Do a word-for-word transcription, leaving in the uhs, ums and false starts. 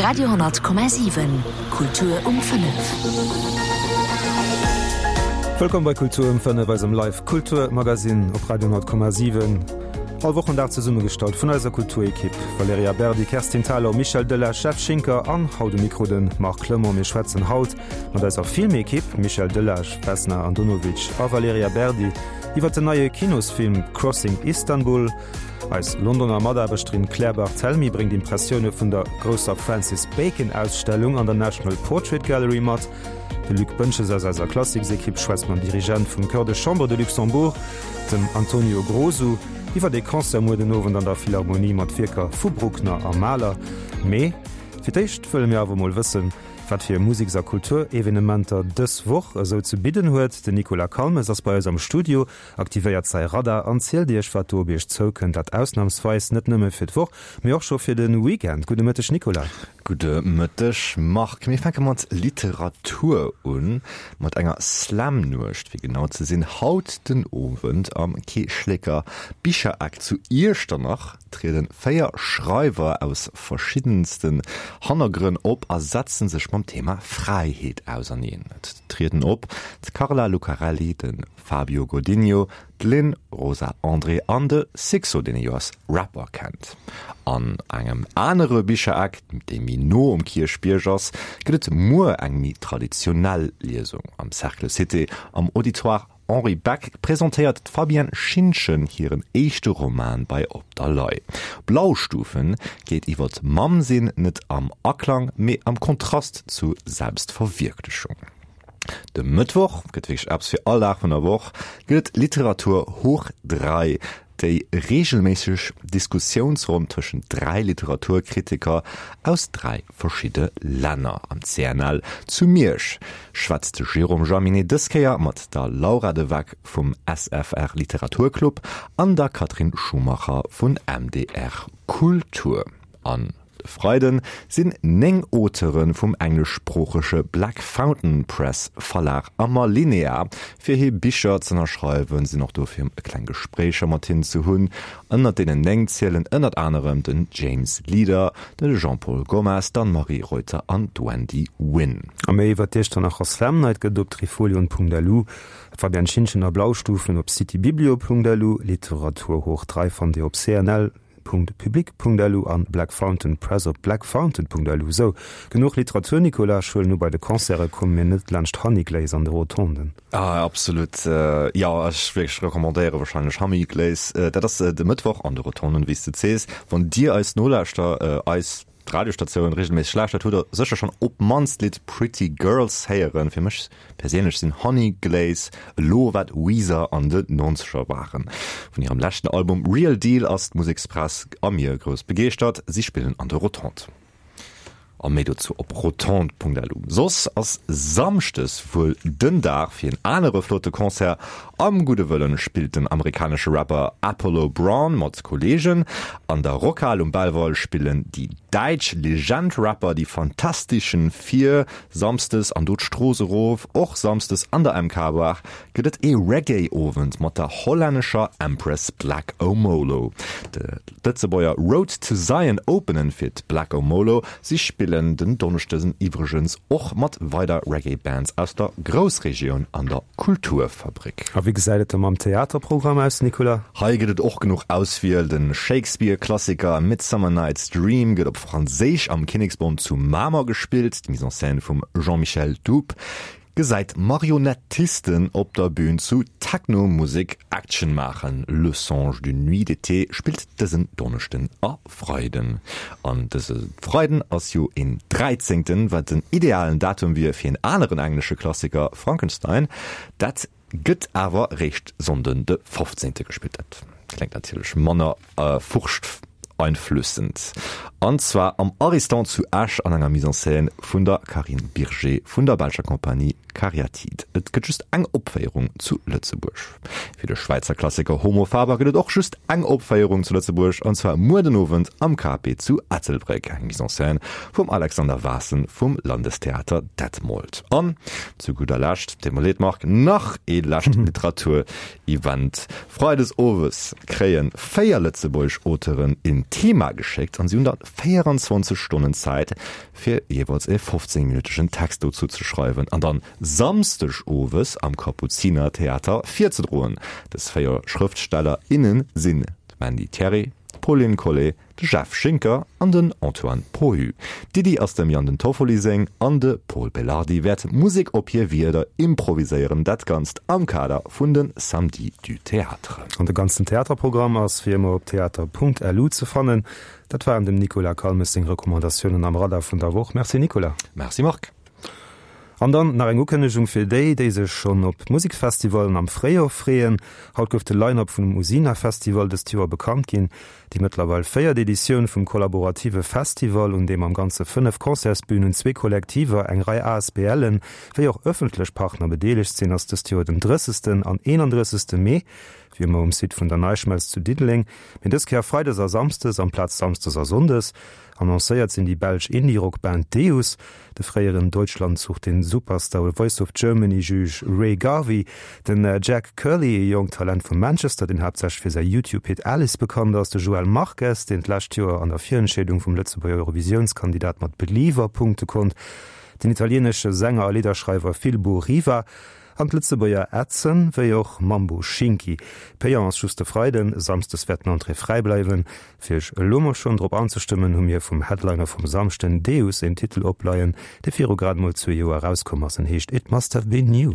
Radio honnert Komma siwen, Kultur um fënnef. Wëllkomm bei Kultur um fënnef, eisem Live Kultur Magazine op Radio honnert Komma siwen. All Wochendag zesummegestallt vun eiser Kulturekipp Valerija Berdi, Kerstin Thalau, Michel Delage, Jeff Schinker an haut um Mikro de Marc Clement. Mir schwätzen haut mat eiser Filmekipp Michel Delage, Vesna Andonovic a Valerija Berdi iwwer den neie Kinosfilm Crossing Istanbul. Eis Londoner Mataarbechterin Claire Barthelmy bréngt Impressioune vun der grousser Francis Bacon Ausstellung an der National Portrait Gallery mat. De Luc Boentges aus eiser Klassiksekipp schwätzt mam Dirigent vum Chœur de Chambre de Luxembourg, dem Antonio Grosu, iwwer ee Concert muer den Owend an der Philharmonie mat Wierker vu Bruckner a Mahler. Mee fir d'éischt wëlle mir awer mol wëssen, wat fir Museks a Kulturevenementer dës Woch esou ze bidden huet. Den Nicolas Calmes ass bei eis am Studio, aktivéiert säi Radar an zielt iech, wat do op iech zoukënnt. Dat ausnamsweis net nëmme fir d'Woch, mee och scho fir de Weekend. Gudde Mëtteg, Nicolas. Gudde Mëtteg, Marc. Mir fänke mat Literatur un, mat enger Slam-Nuecht, fir genau ze sinn. Haut den Owend am Keeschlécker Bichereck zu Iechternach triede véier Schreiwer aus verschiddensten Hannergrënn op a setzen sech mam Thema Fräiheet auserneen. Et trieden op, d'Carla Lucarelli, de Fabio Godinho, d'Lynn Rosa André an de Sixo, deen ee jo als Rapper kennt. An engem anere Bichereck, dee méi no um Kierchbierg ass, gëtt et muer eng méi traditionell Liesung. Am Cercle Cité am Auditoire Henri Beck presentéiert d'Fabienne Schintgen hiren éischte Roman bei Op der Lay. Blaustufen geet iwwer d'Mamm-sinn, net am Aklang, mee am Kontrast zu Selbstverwierklechung. De Mëttwoch gëtt wierklech eppes fir all Dag vun der Woch, gëtt et Literatur hoch dräi, déi reegelméisseg Diskussiounsronn tëschent dräi Literaturkritiker aus dräi verschidde Länner. Am C N L zu Miersch schwätzt de Jérôme Jaminet dës Kéier mat der Laura de Weck vum S F R Literaturclub an der Catherine Schumacher vun M D R Kultur. An de Freide sinn néng Auteure vum engleschsproochege Black Fountain Press Verlag am Alinéa fir hir Bicher z'ënnerschreiwen, sinn och do fir e kleng Gespréicher mat hinnen ze hunn. Ënnert deenen néng zielen ënnert anerem den James Leader, de Jean-Paul Gomez, d'Anne-Marie Reuter an d'Wendy Winn. A méi iwwer d'Iechternacher Slam Night gëtt op trifolion Punkt L U, Fabienne Schintgen a Blaustufen op citybiblio Punkt L U, Literatur hoch dräi fannt Dir op C N L Punkt public Punkt L U an Black Fountain Press op blackfountain Punkt L U. Sou, genuch Literatur, Nicolas, ech huelen u bei de Concerte komme mir net laanscht Honeyglaze an de Rotonden. Ah, absolut, jo, ech wierklech recommandéiere wahrscheinlech Honeyglaze. Dat ass de Mëttwoch an de Rotonden, wéi s de sees. Wann Dir eis nolauschtert, eis Radiostatioun regelméisseg lauschtert, hutt der sécher schonn op d'mannst d'Lidd Pretty Girls héieren. Fir mech perséinlech sinn Honeyglaze elo wat Weezer an de Nonzeger waren. Vun hirem leschten Album Real Deal ass d'Musekspress a mir grouss begeeschtert. Si spillen an de Rotondes. A méi dozou op rotondes Punkt L U. Soss ass Samschdes wuel den Dag fir en anere flotte Concert. Am Gudde Wëllen spillt den amerikanesche Rapper Apollo Brown mat Kolleegen. An der Rockhal um Belval spillen déi däitsch Legend Rapper Die Fantastischen Vier. Samsdes an do d'Strooss erof, och samsdes an der M K Bar, gëtt et ee Reggae-Owend mat der hollännescher Empress Black Omolo. De Lëtzebuerger Road to Zion openen fir d'Black Omolo. Si spillen den Donneschden iwwregens och mat weider Reggae-Bands aus der Groussregioun an der Kulturfabrik. A wéi gesäit et da mam Theaterprogramm aus, Nicolas? Hei gëtt et och genuch Auswiel. De Shakespeare-Klassiker Midsummer Night's Dream gëtt op Franséisch am Kinneksbond zu Mamer gespillt. D'Mise en scène vum Jean-Michel Doub gesäit Marionettisten op der Bün zu Techno-Musek Action maachen. Le Songe d'une nuit d'été spillt dësen Donneschden a Freiden. An dëse Freiden ass jo een Dräizéngten, wat den idealen Datum wier fir en aneren englesche Klassiker, Frankenstein. Dat gëtt awer réischt Sonnden de fofzéngte gespillt. Dat kléngt natierlech manner furchteinflössend. An zwar am Ariston zu Esch an enger Mise en scène vun der Carine Birger vun der belscher Compagnie Cariatide. Et gëtt just eng Opféierung zu Lëtzebuerg. Fir de Schwäizer Klassiker Homo Faber gëtt et och just eng Opféierung zu Lëtzebuerg, an zwar muer den Owend am K P zu Ettelbréck, eng Mise en scène vum Alexander Vaessen vum Landestheater Detmold. An zu gudder Lescht, deet mer leed Marc, nach ee lescht Literatur-Event. Freides owes kréie véier lëtzebuergesch Auteuren een Thema geschéckt an si hunn der véierenzwanzeg Stonnen Zäit, fir jeeweils e fofzéngminuttegen Text dozou ze schreiwen an dann Samsdeg owes am Kapuzinertheater virzedroen. Dës véier Schrëftsteller, innen sinn d'Mandy Thierry, d'Pauline Collet, de Jeff Schinker an den Antoine Pohu. D'Iddi ass dem Yann den Toffoli seng an de Pol Belardi wäert Musek op hir Wierder improviséieren, dat Ganzt am Kader vun de Samedis du Théâtre. An de ganzen Theaterprogramm ass wéi ëmmer op theater.lu ze fannen. Dat waren dem Nicolas Calmes seng Recommandatiounen am Radar vun der Woch. Merci Nicolas. Merci Marc. An dann nach eng Ukënnegung fir déi, déi sech schonn op d'Museksfestivallen am Fréijoer freeën, Haut gouf de Line-Up vum Usina Festival dëst Joer bekannt ginn. Déi mëttlerweil véiert Editioun vum kollaborative Festival, un deem am Ganze fënnef Concertsbünen, zwee Kollektiver, eng Rei ASBLen, wéi och ëffentlech Partner bedeelegt sinn, ass dëst Joer den drëssegsten an eenandrëssegste Mee, wéi ëmmer um Site vun der NeiSchmelz zu Diddeleng, mee dës Kéier freides a samsdes amplaz samsdes a sonndes. Annoncéiert sinn déi belsch Indie-Rock-Band Deus, de fréieren Deutschland sucht den Superstar oder Voice of Germany-Juge Rea Garvey, den Jack Curley, e jonkt Talent vu Manchester, deen haaptsächlech fir säi YouTube-Hit Alice bekannt ass, de Joel Marques, deen d'lescht Joer an der Virentscheedung vum Lëtzebuerger Eurovisiounskandidat mat Believer punkte konnt, den italieenesche Sänger a Lidderschreiwer Filbo Riva an d'Lëtzebuerger Edson, wéi och Mambo Schinki. Payant ass just de Freiden, samsdes wäert den Entrée fräi bleiwen. Fir iech elo mol schonn drop anzestëmmen, hu mir vum Headliner vum Samschden, Deus, een Titel opleien, dee viru grad mol zwee Joer erauskomm ass. En heescht It Must Have Been You.